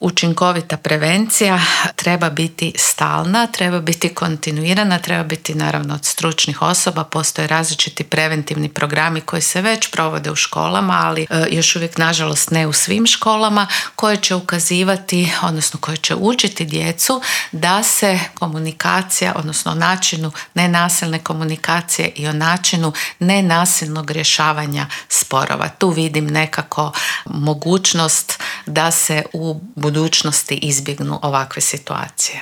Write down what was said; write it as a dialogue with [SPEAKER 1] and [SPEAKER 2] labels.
[SPEAKER 1] Učinkovita prevencija treba biti stalna, treba biti kontinuirana, treba biti naravno od stručnih osoba. Postoje različiti preventivni programi koji se već provode u školama, ali još uvijek nažalost ne u svim školama, koje će ukazivati, odnosno koje će učiti djecu da se komunikacija, odnosno o načinu nenasilne komunikacije i o načinu nenasilnog rješavanja sporova. Tu vidim nekako mogućnost da se u budućnosti izbjegnu ovakve situacije.